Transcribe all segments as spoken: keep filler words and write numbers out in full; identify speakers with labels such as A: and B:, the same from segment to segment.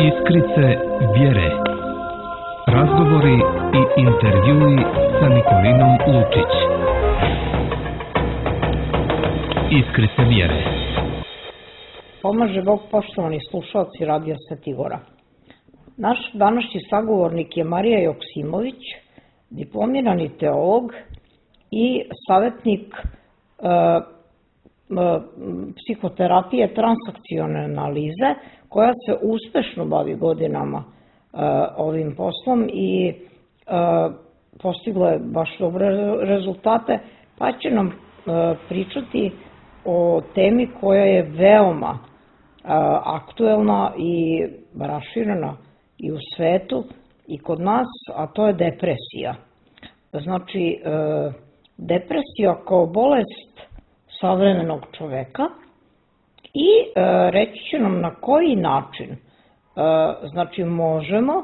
A: Iskrice vjere. Razgovori i intervjui sa Nikolinom Lučić. Iskrice vjere.
B: Pomaže Bog, poštovani slušalci Radija Sveti Gora. Naš današnji sagovornik je Marija Joksimović, diplomirani teolog i savjetnik e, e, psihoterapije transakcione analize, koja se uspešno bavi godinama e, ovim poslom i e, postigla je baš dobre rezultate, pa će nam e, pričati o temi koja je veoma e, aktuelna i raširena i u svetu i kod nas, a to je depresija. Znači, e, depresija kao bolest savremenog čoveka i e, reći će nam na koji način e, znači možemo e,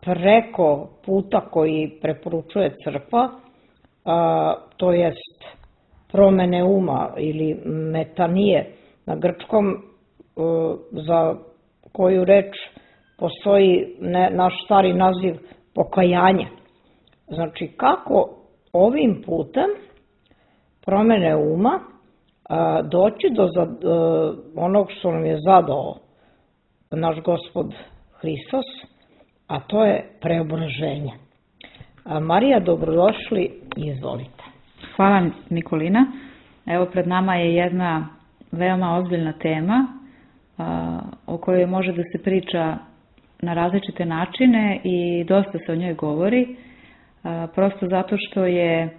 B: preko puta koji preporučuje crkva, e, to jest promene uma ili metanije na grčkom, e, za koju reč postoji ne, naš stari naziv pokajanje. Znači, kako ovim putem promene uma a, doći do za, a, onog što nam je zadao naš Gospod Hristos, a to je preobraženje. A, Marija, dobrodošli i izvolite.
C: Hvala, Nikolina. Evo, pred nama je jedna veoma ozbiljna tema a, o kojoj može da se priča na različite načine i dosta se o njoj govori, a, prosto zato što je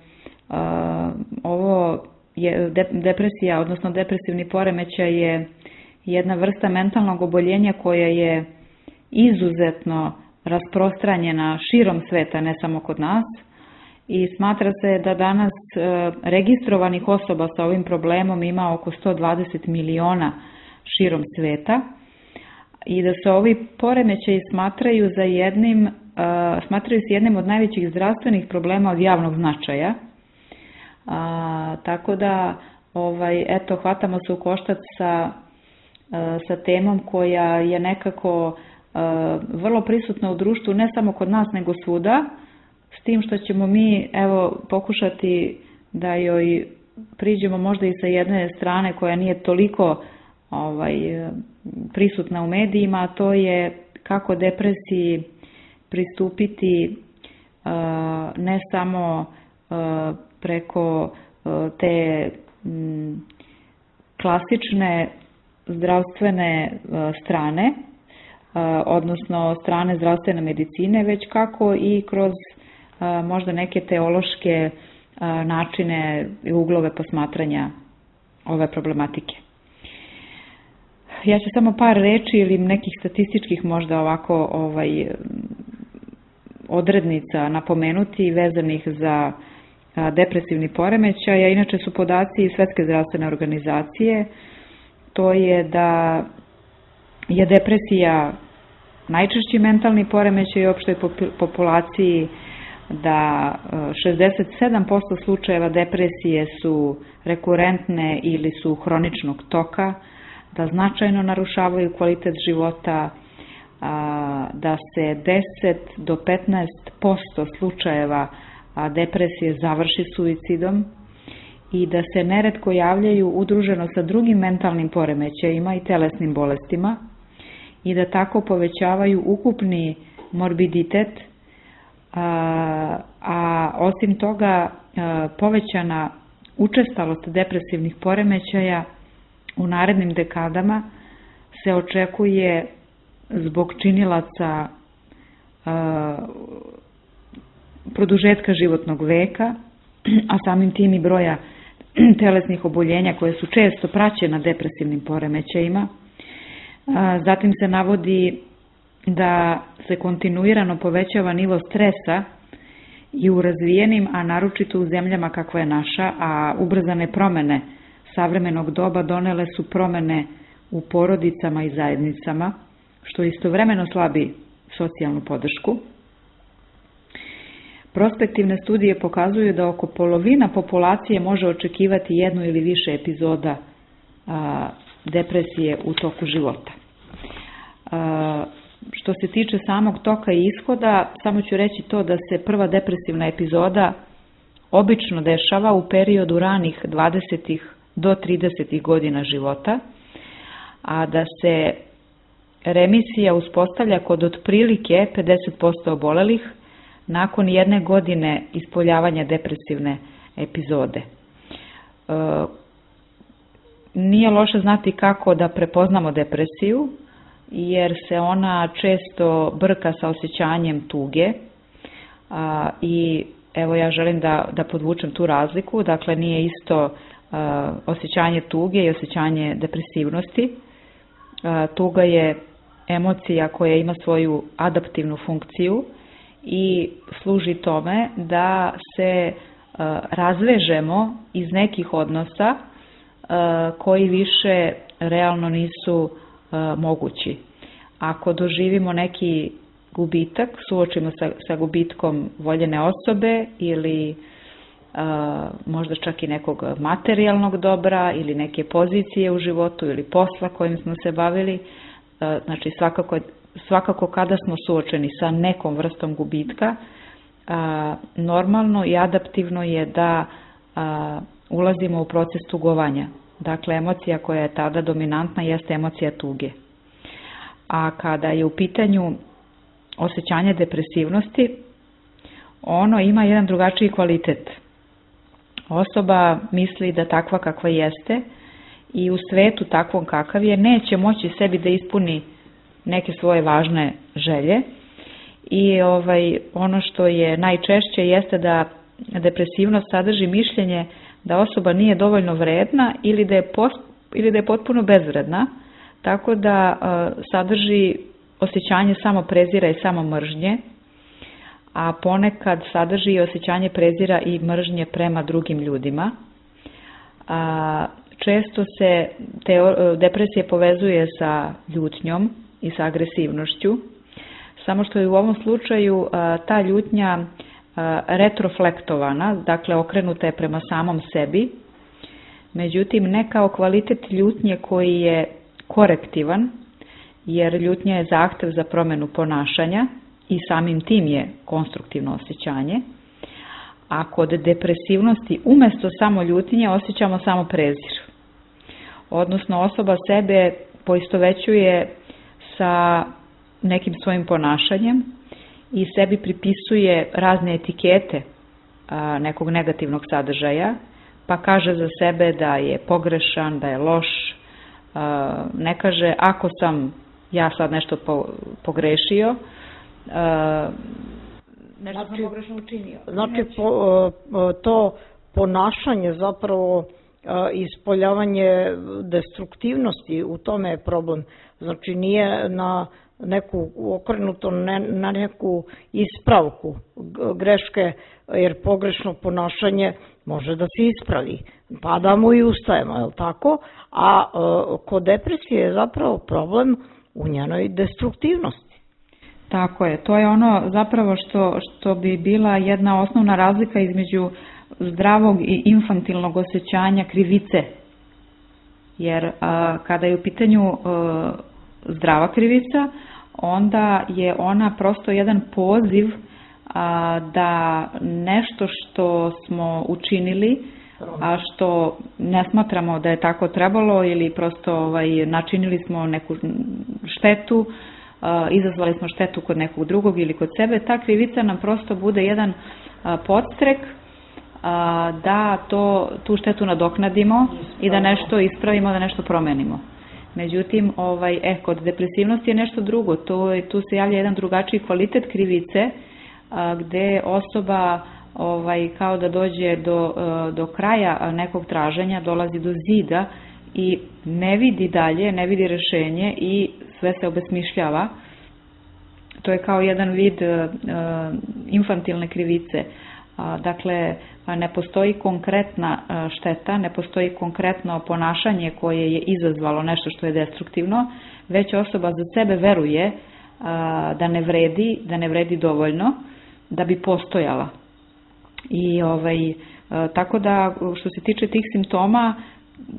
C: a, ovo je de, depresija, odnosno depresivni poremećaj je jedna vrsta mentalnog oboljenja koja je izuzetno rasprostranjena širom sveta, ne samo kod nas, i smatra se da danas a, registrovanih osoba sa ovim problemom ima oko sto dvadeset miliona širom sveta i da se ovi poremećaji smatraju za jednim, uh, smatraju se jednim od najvećih zdravstvenih problema od javnog značaja. Uh, tako da, ovaj, eto, hvatamo se u koštac sa, uh, sa temom koja je nekako uh, vrlo prisutna u društvu, ne samo kod nas, nego svuda, s tim što ćemo mi, evo, pokušati da joj priđemo možda i sa jedne strane koja nije toliko ovaj, prisutna u medijima, a to je kako depresiji pristupiti uh, ne samo uh, preko uh, te um, klasične zdravstvene uh, strane, uh, odnosno strane zdravstvene medicine, već kako i kroz uh, možda neke teološke uh, načine i uglove posmatranja ove problematike. Ja ću samo par reči ili nekih statističkih možda ovako ovaj, odrednica napomenuti vezanih za a, depresivni poremećaj, a inače su podaci Svetske zdravstvene organizacije, to je da je depresija najčešći mentalni poremećaj u opštoj populaciji, da šezdeset sedam posto slučajeva depresije su rekurentne ili su hroničnog toka, da značajno narušavaju kvalitet života, da se deset do petnaest posto slučajeva depresije završi suicidom i da se neretko javljaju udruženo sa drugim mentalnim poremećajima i telesnim bolestima i da tako povećavaju ukupni morbiditet, a, a osim toga povećana učestalost depresivnih poremećaja u narednim dekadama se očekuje zbog činilaca a, produžetka životnog veka, a samim tim i broja telesnih oboljenja koje su često praćena depresivnim poremećajima. A, zatim se navodi da se kontinuirano povećava nivo stresa i u razvijenim, a naročito u zemljama kakva je naša, a ubrzane promene savremenog doba donele su promene u porodicama i zajednicama, što istovremeno slabi socijalnu podršku. Prospektivne studije pokazuju da oko polovina populacije može očekivati jednu ili više epizoda a, depresije u toku života. Što se tiče samog toka i ishoda, samo ću reći to da se prva depresivna epizoda obično dešava u periodu ranih dvadesetih do tridesetih godina života, a da se remisija uspostavlja kod otprilike pedeset posto obolelih nakon jedne godine ispoljavanja depresivne epizode. E, nije loše znati kako da prepoznamo depresiju, jer se ona često brka sa osjećanjem tuge a, i evo ja želim da, da podvučem tu razliku, dakle nije isto a, osjećanje tuge i osjećanje depresivnosti. A, tuga je emocija koja ima svoju adaptivnu funkciju i služi tome da se a, razvežemo iz nekih odnosa a, koji više realno nisu mogući. Ako doživimo neki gubitak, suočimo sa, sa gubitkom voljene osobe ili a, možda čak i nekog materijalnog dobra ili neke pozicije u životu ili posla kojim smo se bavili, a, znači svakako, svakako kada smo suočeni sa nekom vrstom gubitka, a, normalno i adaptivno je da a, ulazimo u proces tugovanja. Dakle, emocija koja je tada dominantna jeste emocija tuge. A kada je u pitanju osjećanje depresivnosti, ono ima jedan drugačiji kvalitet. Osoba misli da takva kakva jeste i u svetu takvom kakav je neće moći sebi da ispuni neke svoje važne želje i ovaj, ono što je najčešće jeste da depresivnost sadrži mišljenje da osoba nije dovoljno vredna ili da je, post, ili da je potpuno bezvredna, tako da uh, sadrži osjećanje samo prezira i samo mržnje, a ponekad sadrži i osjećanje prezira i mržnje prema drugim ljudima. A, često se te, depresija povezuje sa ljutnjom i sa agresivnošću, samo što je u ovom slučaju a, ta ljutnja a, retroflektovana, dakle okrenuta je prema samom sebi, međutim ne kao kvalitet ljutnje koji je korektivan, jer ljutnja je zahtev za promjenu ponašanja i samim tim je konstruktivno osjećanje, a kod depresivnosti umjesto samo ljutnje osjećamo samo prezir. Odnosno osoba sebe poistovećuje sa nekim svojim ponašanjem i sebi pripisuje razne etikete a, nekog negativnog sadržaja, pa kaže za sebe da je pogrešan, da je loš, a, ne kaže ako sam ja sad nešto po, pogrešio, a, nešto
B: znači,
C: sam pogrešno učinio.
B: Znači po, to ponašanje zapravo ispoljavanje destruktivnosti, u tome je problem. Znači nije na neku okrenuto ne, na neku ispravku greške, jer pogrešno ponašanje može da se ispravi. Padamo i ustajemo, je li tako? A kod depresije je zapravo problem u njenoj destruktivnosti.
C: Tako je, to je ono zapravo što, što bi bila jedna osnovna razlika između zdravog i infantilnog osjećanja krivice. Jer a, kada je u pitanju a, zdrava krivica, onda je ona prosto jedan poziv a, da nešto što smo učinili, a što ne smatramo da je tako trebalo ili prosto ovaj, načinili smo neku štetu, a, izazvali smo štetu kod nekog drugog ili kod sebe, ta krivica nam prosto bude jedan a, podstrek da to, tu štetu nadoknadimo i da nešto ispravimo, da nešto promenimo. Međutim, ovaj, eh, kod depresivnosti je nešto drugo. To, tu se javlja jedan drugačiji kvalitet krivice, a, gde osoba ovaj, kao da dođe do, do kraja nekog traženja, dolazi do zida i ne vidi dalje, ne vidi rešenje i sve se obesmišljava. To je kao jedan vid uh, infantilne krivice. Dakle, ne postoji konkretna šteta, ne postoji konkretno ponašanje koje je izazvalo nešto što je destruktivno, već osoba za sebe veruje da ne vredi, da ne vredi dovoljno da bi postojala. I ovaj, tako da što se tiče tih simptoma,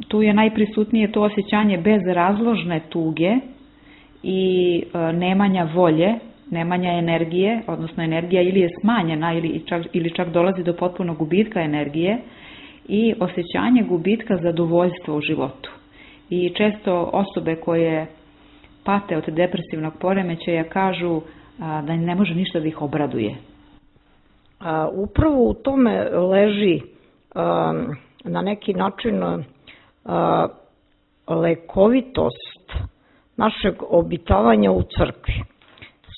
C: tu je najprisutnije to osjećanje bezrazložne tuge i nemanja volje, nemanja energije, odnosno energija ili je smanjena ili čak, ili čak dolazi do potpunog gubitka energije i osjećanje gubitka zadovoljstva u životu. I često osobe koje pate od depresivnog poremećaja kažu da ne može ništa da ih obraduje.
B: A, upravo u tome leži a, na neki način a, lekovitost našeg obitavanja u crkvi.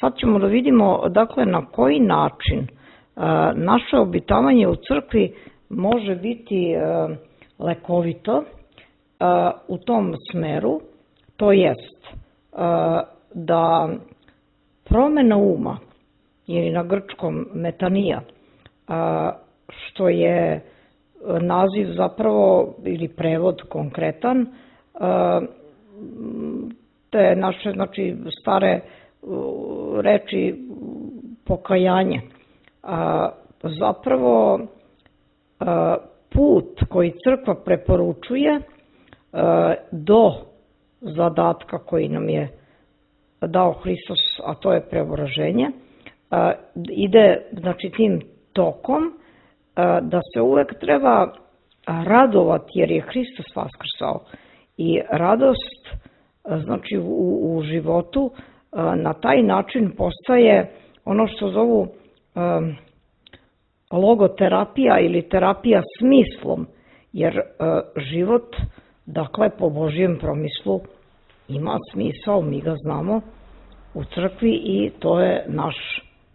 B: Sad ćemo da vidimo dakle na koji način a, naše obitavanje u crkvi može biti a, lekovito a, u tom smeru, to jest a, da promena uma ili na grčkom metanija, a, što je naziv zapravo ili prevod konkretan, a, te naše znači, stare reči pokajanje. A, zapravo a, put koji crkva preporučuje a, do zadatka koji nam je dao Hristos, a to je preobraženje, a, ide znači tim tokom a, da se uvek treba radovati jer je Hristos vaskrsao i radost a, znači u, u životu a, na taj način postaje ono što zovu a, logoterapija ili terapija smislom, jer a, život dakle po Božjem promislu ima smisao, mi ga znamo u crkvi i to je naš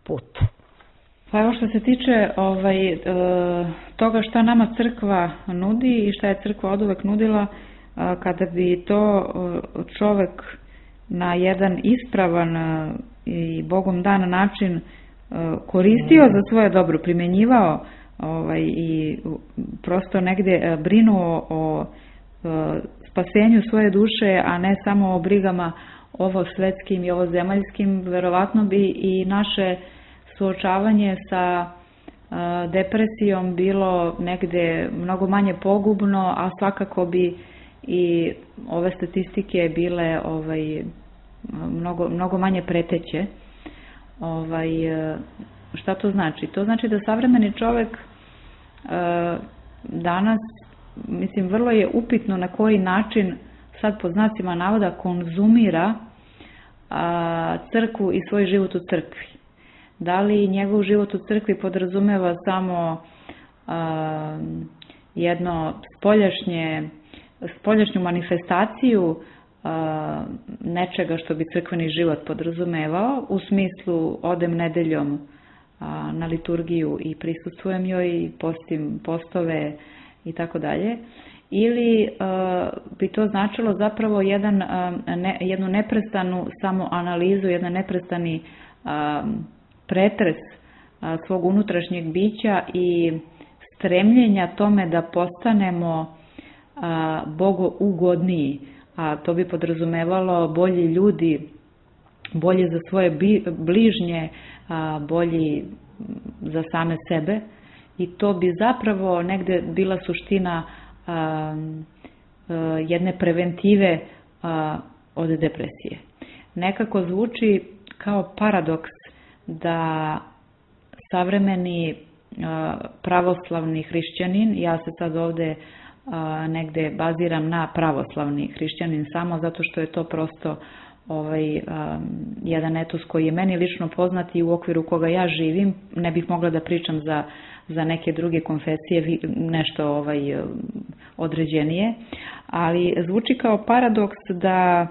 B: put.
C: Pa evo što se tiče ovaj, toga šta nama crkva nudi i šta je crkva oduvek nudila, kada bi to čovek na jedan ispravan i Bogom dan način koristio za svoje dobro, primjenjivao ovaj, i prosto negde brinuo o spasenju svoje duše, a ne samo o brigama ovo svetskim i ovo zemaljskim, verovatno bi i naše suočavanje sa depresijom bilo negde mnogo manje pogubno, a svakako bi i ove statistike bile ovaj, mnogo, mnogo manje preteće. Ovaj, šta to znači? To znači da savremeni čovek danas, mislim, vrlo je upitno na koji način, sad pod znacima navoda, konzumira a, crkvu i svoj život u crkvi. Da li njegov život u crkvi podrazumeva samo a, jedno spoljašnje, spoljašnju manifestaciju a, nečega što bi crkveni život podrazumevao, u smislu odem nedeljom a, na liturgiju i prisustvujem joj i postim postove i tako dalje, ili uh, bi to značilo zapravo jedan, uh, ne, jednu neprestanu samoanalizu, jedan neprestani uh, pretres uh, svog unutrašnjeg bića i stremljenja tome da postanemo uh, bogougodniji, a to bi podrazumevalo bolji ljudi, bolji za svoje bi, bližnje, uh, bolji za same sebe. I to bi zapravo negde bila suština a, a, jedne preventive a, od depresije. Nekako zvuči kao paradoks da savremeni a, pravoslavni hrišćanin, ja se sad ovde a, negde baziram na pravoslavni hrišćanin samo zato što je to prosto ovaj, a, jedan etos koji je meni lično poznat i u okviru koga ja živim, ne bih mogla da pričam za za neke druge konfesije nešto ovaj, određenije, ali zvuči kao paradoks da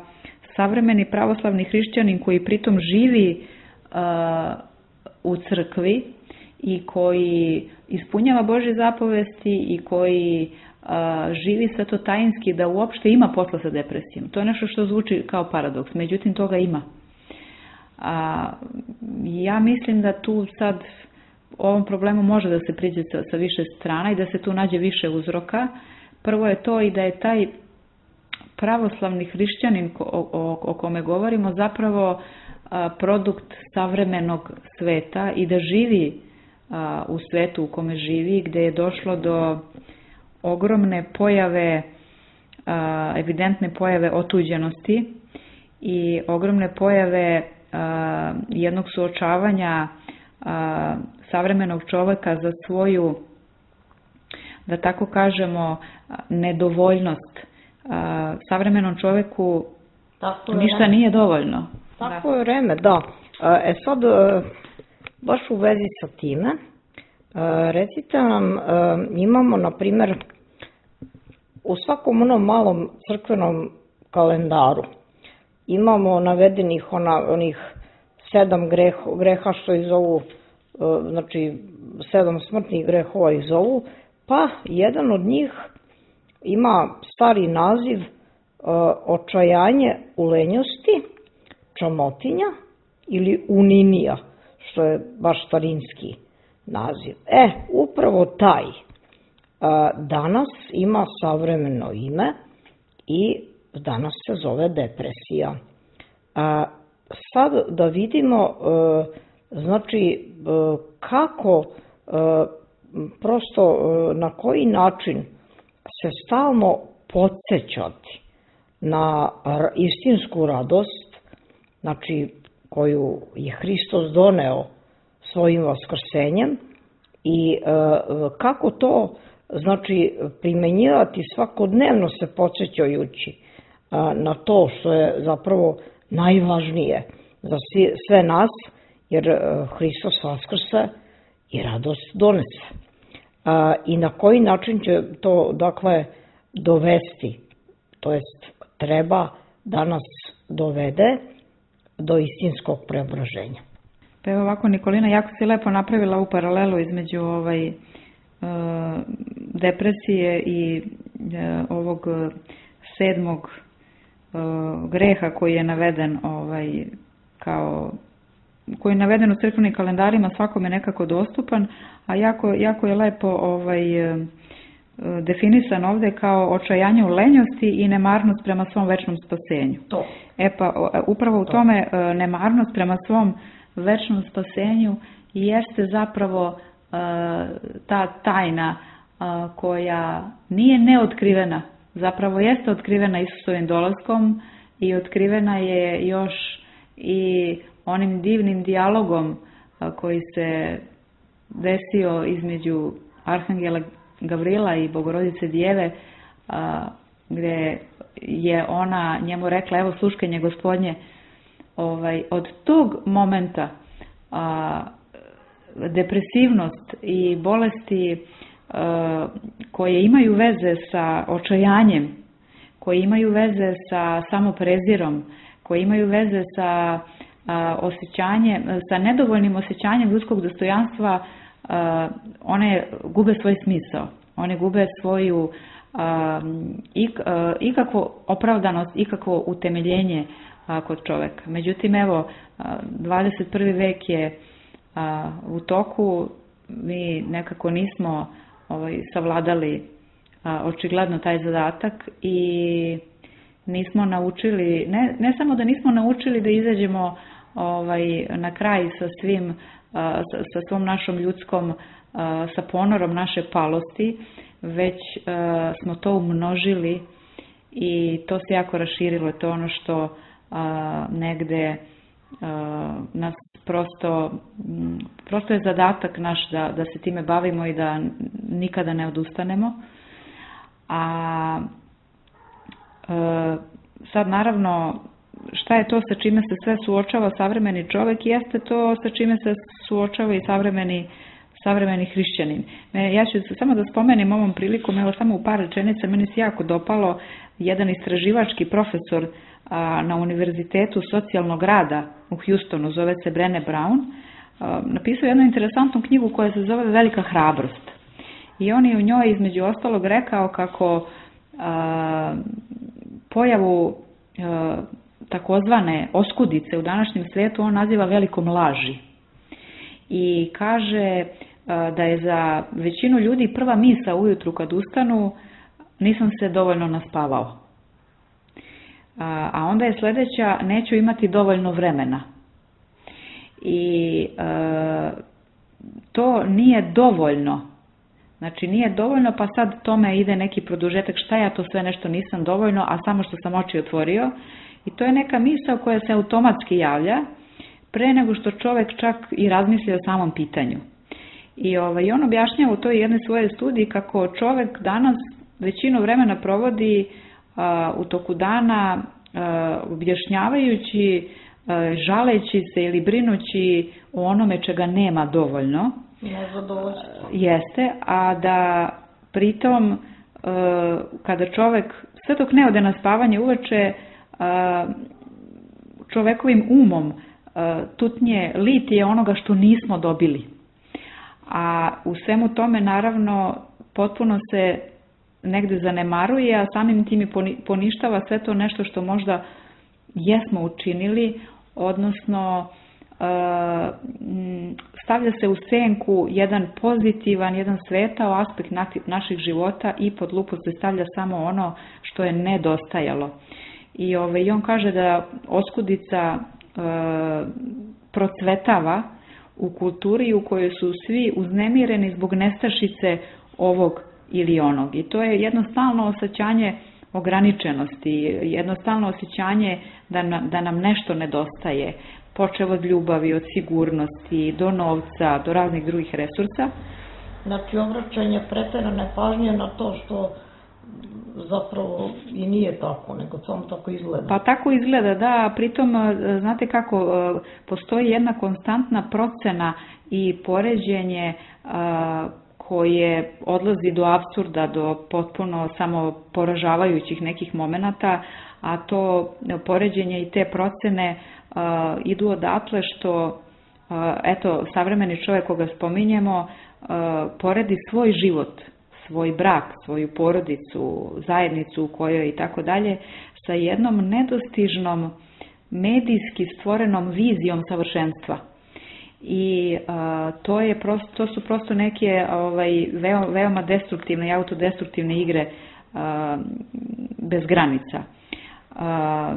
C: savremeni pravoslavni hrišćanin koji pritom živi uh, u crkvi i koji ispunjava Božje zapovesti i koji uh, živi svetotajinski da uopšte ima posla sa depresijom. To je nešto što zvuči kao paradoks, međutim toga ima. A, ja mislim da tu sad o ovom problemu može da se priđe sa, sa više strana i da se tu nađe više uzroka. Prvo je to i da je taj pravoslavni hrišćanin o, o, o kome govorimo zapravo a, produkt savremenog sveta i da živi a, u svetu u kome živi, gde je došlo do ogromne pojave, a, evidentne pojave otuđenosti i ogromne pojave a, jednog suočavanja a, savremenog čoveka za svoju, da tako kažemo, nedovoljnost. A, savremenom čoveku
B: tako
C: ništa nije dovoljno.
B: Tako je vreme, da. E sad, baš u vezi sa time, recite nam, imamo, na primjer, u svakom onom malom crkvenom kalendaru imamo navedenih ona, onih sedam greh, greha što ih zovu, znači sedam smrtnih grehova ih zovu, pa jedan od njih ima stari naziv očajanje u lenjosti, čamotinja ili uninija, što je baš starinski naziv. E, upravo taj danas ima savremeno ime i danas se zove depresija. Sad da vidimo, znači, kako, prosto na koji način se stalno podsjećati na istinsku radost, znači koju je Hristos doneo svojim vaskrsenjem i kako to, znači, primenjivati svakodnevno se podsjećajući na to što je zapravo najvažnije za sve nas, jer Hristos vaskrse i radost donese. I na koji način će to, dakle, dovesti, to jest treba da nas dovede do istinskog preobraženja.
C: Pa evo ovako, Nikolina, jako si lepo napravila u paralelu između ovaj, e, depresije i e, ovog sedmog e, greha koji je naveden ovaj, kao, koji je naveden u crkvenim kalendarima, svakom je nekako dostupan, a jako, jako je lepo ovaj, e, definisan ovdje kao očajanje u lenjosti i nemarnost prema svom večnom spasenju.
B: To.
C: E pa upravo u tome nemarnost prema svom večnom spasenju jeste zapravo ta tajna koja nije neotkrivena, zapravo jeste otkrivena Isusovim dolaskom i otkrivena je još i onim divnim dijalogom koji se desio između Arhangela Gavrila i Bogorodice Djeve, gdje je ona njemu rekla, evo sluškenje Gospodnje. Ovaj, od tog momenta a, depresivnost i bolesti a, koje imaju veze sa očajanjem, koje imaju veze sa samoprezirom, koje imaju veze sa a, osjećanjem, sa nedovoljnim osjećanjem ljudskog dostojanstva, a, one gube svoj smisao, one gube svoju a, ik, a, ikakvu opravdanost, ikakvo utemeljenje kod čoveka. Međutim, evo, dvadeset prvi vek je a, u toku, mi nekako nismo ovaj, savladali a, očigledno taj zadatak i nismo naučili, ne, ne samo da nismo naučili da izađemo ovaj, na kraj sa svim, a, sa, sa svom našom ljudskom, a, sa ponorom naše palosti, već a, smo to umnožili i to se jako raširilo. To je ono što a, negde a, nas prosto, prosto je zadatak naš da, da se time bavimo i da nikada ne odustanemo. A, a sad naravno šta je to sa čime se sve suočava savremeni čovjek, jeste to sa čime se suočava i savremeni savremeni hrišćanin. Ja ću samo da spomenem ovom prilikom, evo samo u par rečenica, meni se jako dopalo jedan istraživački profesor a, na Univerzitetu socijalnog rada u Houstonu, zove se Brené Brown, a, napisao jednu interesantnu knjigu koja se zove Velika hrabrost. I on je u njoj između ostalog rekao kako a, pojavu a, takozvane oskudice u današnjem svijetu on naziva velikom laži. I kaže da je za većinu ljudi prva misa ujutru kad ustanu, nisam se dovoljno naspavao. A onda je sljedeća, neću imati dovoljno vremena. I e, to nije dovoljno. Znači nije dovoljno, pa sad tome ide neki produžetak, šta ja to sve nešto nisam dovoljno, a samo što sam oči otvorio. I to je neka misao koja se automatski javlja pre nego što čovek čak i razmisli o samom pitanju. I ovaj, on objašnjava u toj jednoj svojoj studiji kako čovek danas većinu vremena provodi a, u toku dana a, objašnjavajući, a, žaleći se ili brinući o onome čega nema dovoljno.
B: Nezadovoljstvo.
C: Jeste, a da pritom a, kada čovek sve dok ne ode na spavanje uveče a, čovekovim umom a, tutnje litije onoga što nismo dobili. A u svemu tome naravno potpuno se negde zanemaruje, a samim tim i poništava sve to nešto što možda jesmo učinili, odnosno stavlja se u senku jedan pozitivan, jedan svetao aspekt naših života i pod lupu se stavlja samo ono što je nedostajalo. I ovaj, on kaže da oskudica procvetava u kulturi u kojoj su svi uznemireni zbog nestašice ovog ili onog. I to je jednostavno osjećanje ograničenosti, jednostavno osjećanje da, na, da nam nešto nedostaje, počev od ljubavi, od sigurnosti, do novca, do raznih drugih resursa.
B: Znači, obraćanje preterane pažnje na to što zapravo i nije tako, nego samo tako izgleda.
C: Pa tako izgleda, da, a pritom, znate kako, postoji jedna konstantna procena i poređenje koje odlazi do apsurda, do potpuno samo poražavajućih nekih momenata, a to poređenje i te procene idu odatle što, eto, savremeni čovjek koga spominjemo, poredi svoj život, svoj brak, svoju porodicu, zajednicu u kojoj i tako dalje, sa jednom nedostižnom medijski stvorenom vizijom savršenstva. I a, to, je prosto, to su prosto neke ovaj, veoma, veoma destruktivne i autodestruktivne igre a, bez granica. A,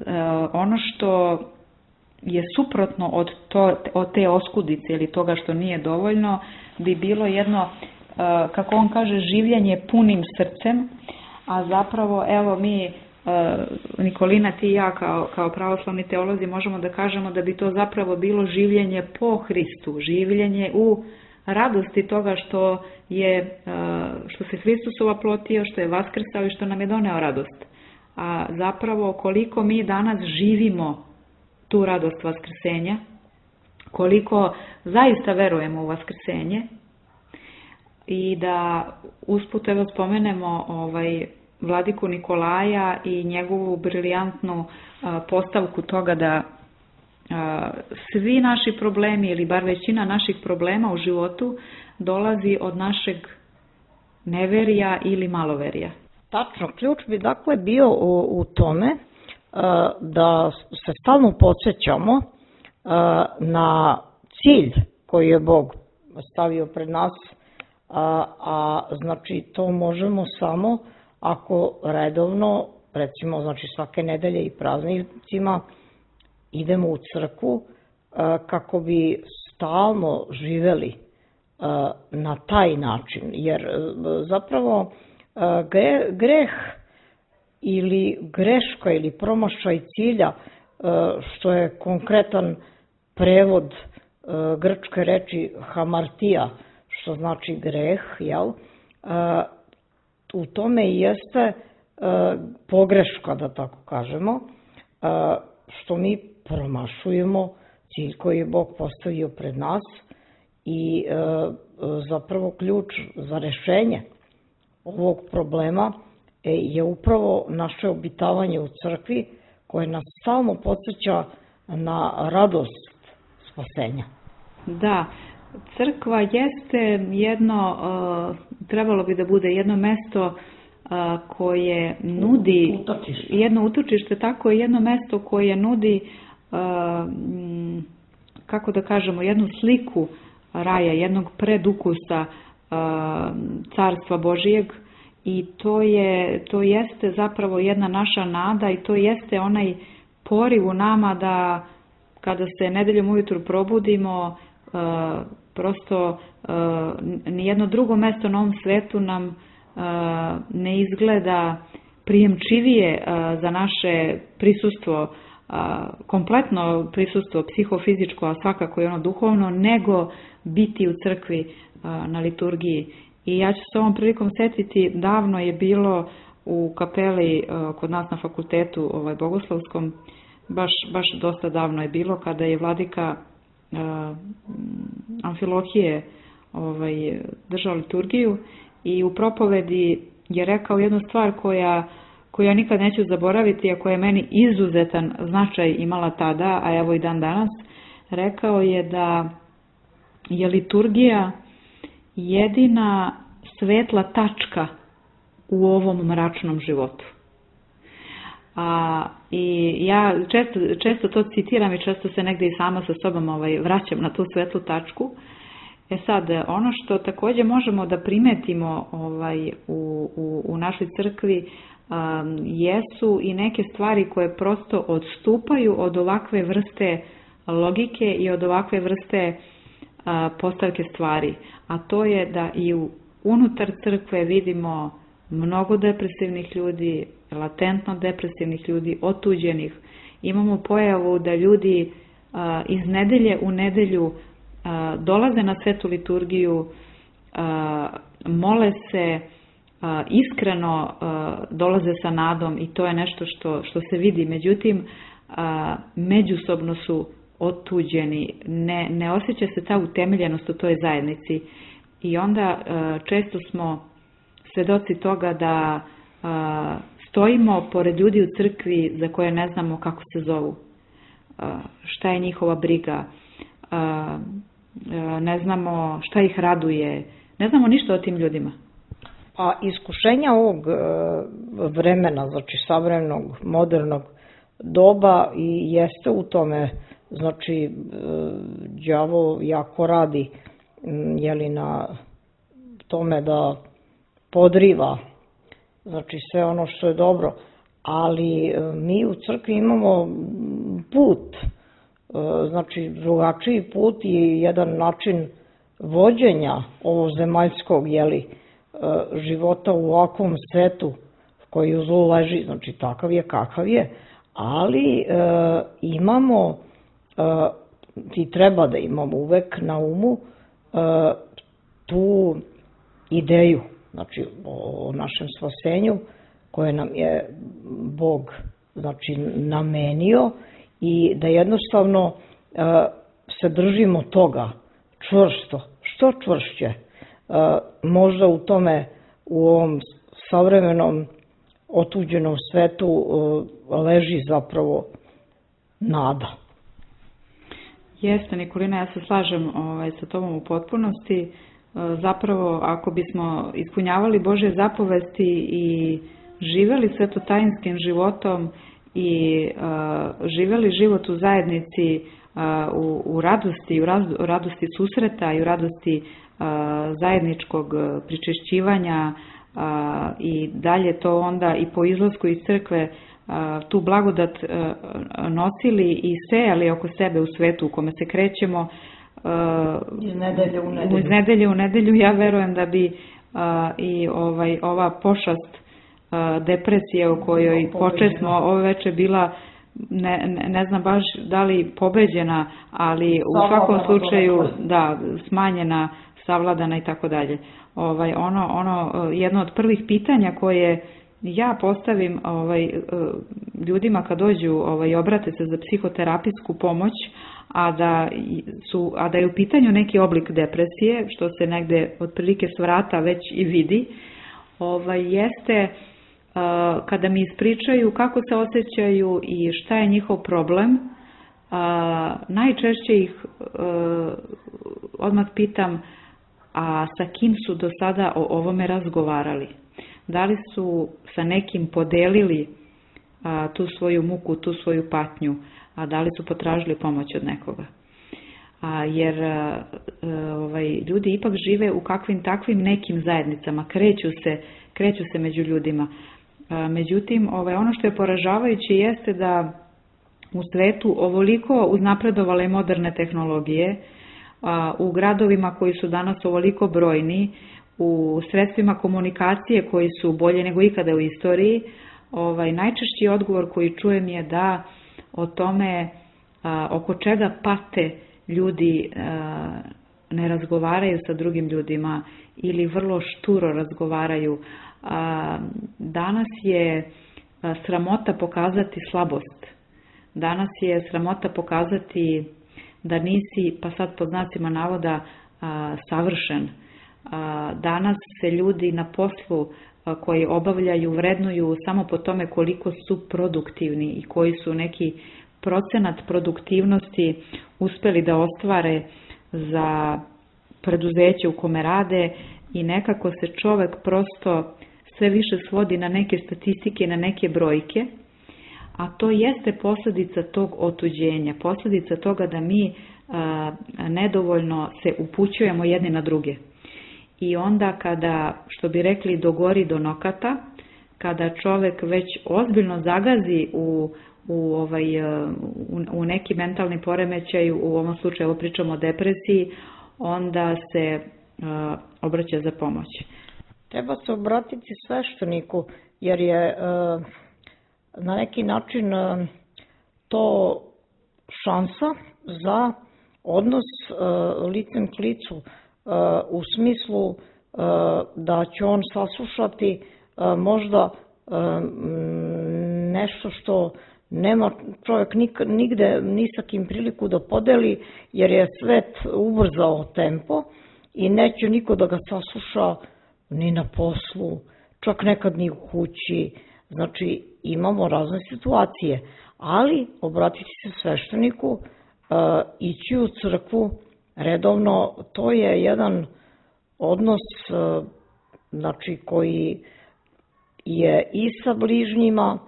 C: a, ono što je suprotno od, to, od te oskudice ili toga što nije dovoljno bi bilo jedno, kako on kaže, življenje punim srcem, a zapravo, evo mi, Nikolina, ti i ja kao, kao pravoslavni teolozi možemo da kažemo da bi to zapravo bilo življenje po Hristu, življenje u radosti toga što je, što se Hristus oplotio, što je vaskrsao i što nam je doneo radost. A zapravo koliko mi danas živimo tu radost vaskrsenja, koliko zaista verujemo u vaskrsenje, i da usput evo spomenemo ovaj, vladiku Nikolaja i njegovu briljantnu a, postavku toga da a, svi naši problemi ili bar većina naših problema u životu dolazi od našeg neverija ili maloverija.
B: Tačno, ključ bi dakle bio u, u tome a, da se stalno podsjećamo a, na cilj koji je Bog stavio pred nas. A, a znači to možemo samo ako redovno, recimo znači svake nedelje i praznicima idemo u crkvu a, kako bi stalno živeli a, na taj način, jer a, zapravo a, gre, greh ili greška ili promašaj cilja, a, što je konkretan prevod a, grčke reči hamartija, što znači greh, jel? U tome i jeste pogreška, da tako kažemo, što mi promašujemo cilj koji je Bog postavio pred nas i zapravo ključ za rešenje ovog problema je upravo naše obitavanje u crkvi koje nas stalno podsjeća na radost spasenja.
C: Da, crkva jeste jedno, trebalo bi da bude jedno mesto koje nudi,
B: utočište.
C: jedno utočište, tako je jedno mesto koje nudi, kako da kažemo, jednu sliku raja, jednog predukusa carstva Božijeg, i to je, to jeste zapravo jedna naša nada i to jeste onaj poriv u nama da kada se nedeljom ujutru probudimo, prosto nijedno drugo mesto na ovom svetu nam ne izgleda prijemčivije za naše prisustvo, kompletno prisustvo psihofizičko, a svakako i ono duhovno, nego biti u crkvi na liturgiji. I ja ću se ovom prilikom setiti, davno je bilo u kapeli kod nas na fakultetu ovaj, bogoslovskom, baš, baš dosta davno je bilo, kada je vladika uh, Amfilohije ovaj, držao liturgiju i u propovedi je rekao jednu stvar koja, koju ja nikad neću zaboraviti, a koja je meni izuzetan značaj imala tada, a evo i dan danas. Rekao je da je liturgija jedina svetla tačka u ovom mračnom životu. A, I ja često, često to citiram i često se negdje i sama sa sobom ovaj, vraćam na tu svetlu tačku. E sad, ono što također možemo da primetimo ovaj, u, u, u našoj crkvi um, jesu i neke stvari koje prosto odstupaju od ovakve vrste logike i od ovakve vrste uh, postavke stvari. A to je da i u, unutar crkve vidimo mnogo depresivnih ljudi, latentno depresivnih ljudi, otuđenih. Imamo pojavu da ljudi a, iz nedelje u nedelju a, dolaze na svetu liturgiju, a, mole se, a, iskreno a, dolaze sa nadom i to je nešto što, što se vidi. Međutim, a, međusobno su otuđeni, ne, ne osjeća se ta utemeljenost u toj zajednici i onda a, često smo svedoci toga da a, stojimo pored ljudi u crkvi za koje ne znamo kako se zovu, a, šta je njihova briga, a, a, ne znamo šta ih raduje, ne znamo ništa o tim ljudima.
B: A iskušenja ovog vremena, znači savremenog, modernog doba i jeste u tome, znači đavo jako radi jeli, na tome da podriva znači sve ono što je dobro, ali mi u crkvi imamo put, znači drugačiji put i jedan način vođenja ovog zemaljskog jeli, života u ovakvom svetu koji u zlu leži, znači takav je kakav je, ali e, imamo e, i treba da imamo uvek na umu e, tu ideju, znači o našem spasenju koje nam je Bog znači namenio i da jednostavno e, se držimo toga čvrsto, što čvršće. E, možda u tome, u ovom savremenom otuđenom svetu e, leži zapravo nada.
C: Jeste, Nikolina, ja se slažem ovaj, sa tobom u potpunosti. Zapravo, ako bismo ispunjavali Božje zapovesti i živeli svetotajinskim životom i uh, živeli život u zajednici uh, u, u radosti, u, raz, u radosti susreta i u radosti uh, zajedničkog pričešćivanja uh, i dalje to onda i po izlasku iz crkve uh, tu blagodat uh, nosili i sejali oko sebe u svetu u kome se krećemo,
B: iz nedelje u nedelju.
C: Iz nedelje u nedelju ja verujem da bi a, i ovaj, ova pošast a, depresije u kojoj počesmo ove veče bila, ne, ne, ne znam baš da li pobeđena, ali u svakom slučaju da, smanjena, savladana i tako dalje. Ovaj, ono, ono, jedno od prvih pitanja koje ja postavim ovaj, ljudima kad dođu ovaj, obrate se za psihoterapijsku pomoć, a da, su, a da je u pitanju neki oblik depresije, što se negde otprilike s vrata već i vidi, ovaj, jeste uh, kada mi ispričaju kako se osjećaju i šta je njihov problem, uh, najčešće ih uh, odmah pitam, a sa kim su do sada o ovome razgovarali? Da li su sa nekim podelili a, tu svoju muku, tu svoju patnju, a da li su potražili pomoć od nekoga? A, jer a, a, ovaj, ljudi ipak žive u kakvim takvim nekim zajednicama, kreću se, kreću se među ljudima. A, međutim, ovaj, ono što je poražavajuće jeste da u svetu ovoliko uznapredovale moderne tehnologije, a, u gradovima koji su danas ovoliko brojni, u sredstvima komunikacije koji su bolje nego ikada u istoriji, ovaj, najčešći odgovor koji čujem je da o tome a, oko čega pate ljudi a, ne razgovaraju sa drugim ljudima ili vrlo šturo razgovaraju. A, danas je a, sramota pokazati slabost. Danas je sramota pokazati da nisi, pa sad pod znacima navoda, a, savršen. A, danas se ljudi na poslu a, koji obavljaju vrednuju samo po tome koliko su produktivni i koji su neki procenat produktivnosti uspeli da ostvare za preduzeće u kome rade i nekako se čovek prosto sve više svodi na neke statistike, na neke brojke, a to jeste posljedica tog otuđenja, posljedica toga da mi a, nedovoljno se upućujemo jedni na druge. I onda kada, što bi rekli, dogori do nokata, kada čovek već ozbiljno zagazi u, u, ovaj, u, u neki mentalni poremećaj, u ovom slučaju evo pričamo o depresiji, onda se a, obraća za pomoć.
B: Treba se obratiti svešteniku, jer je a, na neki način a, to šansa za odnos a, licem k licu, a, u smislu a, da će on saslušati a, možda a, nešto što nema čovjek nikad, nigde ni sa kim priliku da podeli, jer je svet ubrzao tempo i neće niko da ga sasluša ni na poslu, čak nekad ni u kući. Znači, imamo razne situacije, ali obratiti se svešteniku, ići u crkvu redovno, to je jedan odnos, znači, koji je i sa bližnjima,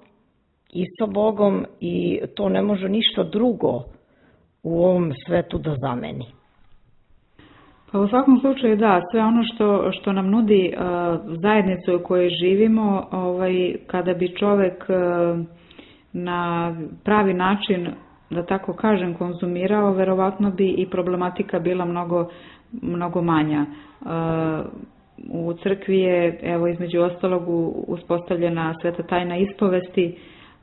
B: i sa Bogom, i to ne može ništa drugo u ovom svetu da zameni.
C: Pa u svakom slučaju da, sve ono što, što nam nudi uh, zajednicu u kojoj živimo, ovaj, kada bi čovek uh, na pravi način, da tako kažem, konzumirao, verovatno bi i problematika bila mnogo, mnogo manja. Uh, u crkvi je, evo, između ostalog, uspostavljena sveta tajna ispovesti,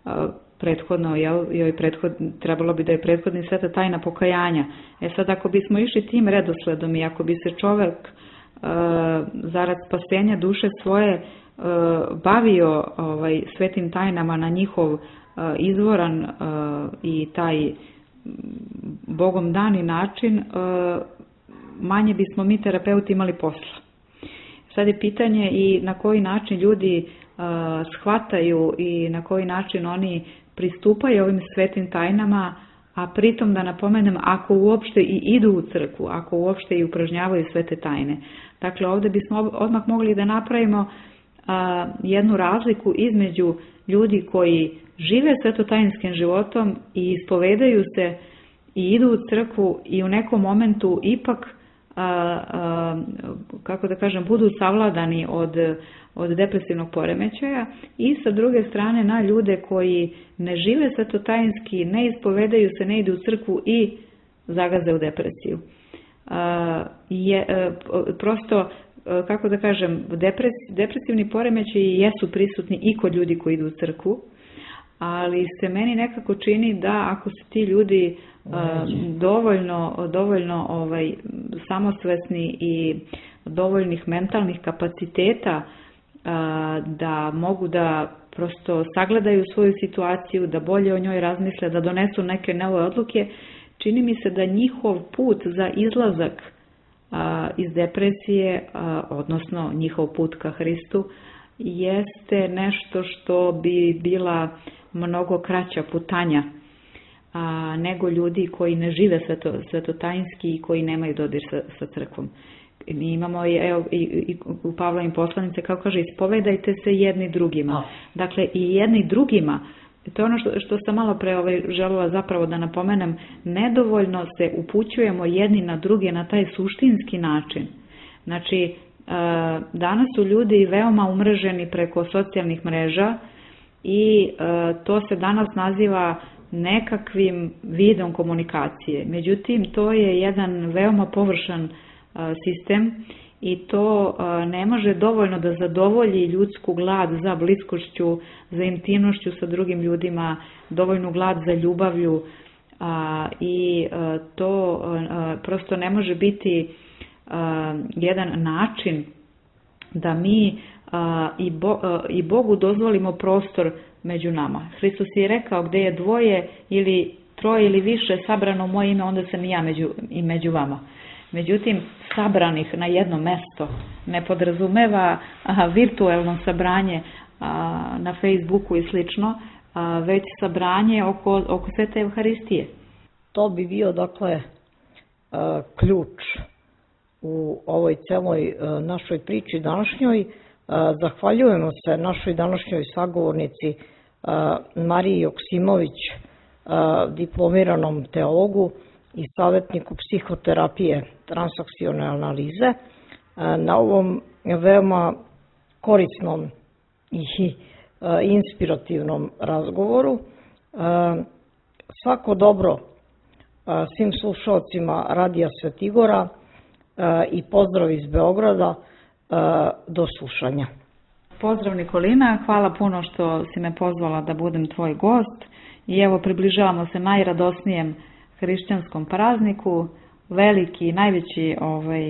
C: uh, prethodno, jel, joj prethod, trebalo bi da je prethodni sveta tajna pokajanja. E sad, ako bismo išli tim redosledom i ako bi se čovek e, zarad spasenja duše svoje e, bavio ovaj, svetim tajnama na njihov e, izvoran e, i taj Bogom dani način, e, manje bismo mi terapeuti imali posla. Sad je pitanje i na koji način ljudi e, shvataju i na koji način oni pristupaju ovim svetim tajnama, a pritom da napomenem, ako uopšte i idu u crkvu, ako uopšte i upražnjavaju svete tajne. Dakle, ovdje bismo odmah mogli da napravimo a, jednu razliku između ljudi koji žive svetotajinskim životom i ispovedaju se i idu u crkvu i u nekom momentu ipak, a, a, kako da kažem, budu savladani od od depresivnog poremećaja, i sa druge strane na ljude koji ne žive svetotajinski, ne ispovedaju se, ne idu u crkvu i zagaze u depresiju. Je, prosto, kako da kažem, depres, depresivni poremećaji jesu prisutni i kod ljudi koji idu u crkvu, ali se meni nekako čini da ako su ti ljudi dovoljno, dovoljno ovaj, samosvesni i dovoljnih mentalnih kapaciteta da mogu da prosto sagledaju svoju situaciju, da bolje o njoj razmisle, da donesu neke nove odluke, čini mi se da njihov put za izlazak iz depresije, odnosno njihov put ka Hristu, jeste nešto što bi bila mnogo kraća putanja nego ljudi koji ne žive sveto, svetotajinski i koji nemaju dodir sa, sa crkvom. Mi imamo evo, i, i u Pavlovim poslanice, kao kaže, ispovedajte se jedni drugima. A. Dakle, i jedni drugima, to je ono što, što sam malo pre ovaj, želela zapravo da napomenem, nedovoljno se upućujemo jedni na druge na taj suštinski način. Znači, danas su ljudi veoma umreženi preko socijalnih mreža i to se danas naziva nekakvim vidom komunikacije. Međutim, to je jedan veoma površan sistem i to ne može dovoljno da zadovolji ljudsku glad za bliskošću, za intimnošću sa drugim ljudima, dovoljnu glad za ljubavlju i to prosto ne može biti jedan način da mi i Bogu dozvolimo prostor među nama. Hristos je rekao gdje je dvoje ili troje ili više sabrano u moje ime, onda sam i ja među, i među vama. Međutim, sabranih na jedno mesto ne podrazumeva aha, virtuelno sabranje a, na Facebooku i slično, a, već sabranje oko, oko Svete Evharistije.
B: To bi bio, dakle, a, ključ u ovoj celoj a, našoj priči današnjoj. A, zahvaljujemo se našoj današnjoj sagovornici a, Mariji Joksimović, a, diplomiranom teologu i savjetniku psihoterapije transakcione analize, na ovom veoma korisnom i inspirativnom razgovoru. Svako dobro svim slušalcima Radija Svetigora i pozdrav iz Beograda, do slušanja.
C: Pozdrav Nikolina, hvala puno što si me pozvala da budem tvoj gost i evo približavamo se najradosnijem hrišćanskom prazniku, veliki i najveći ovaj,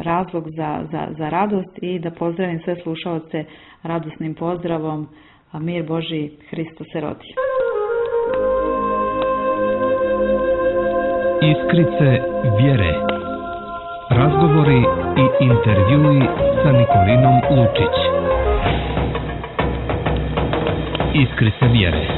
C: razlog za, za, za radost i da pozdravim sve slušaoce radosnim pozdravom, a mir Božji, Hristos se rodi.
A: Iskrice vjere. Razgovori i intervjui sa Nikolinom Lučić. Iskrice vjere.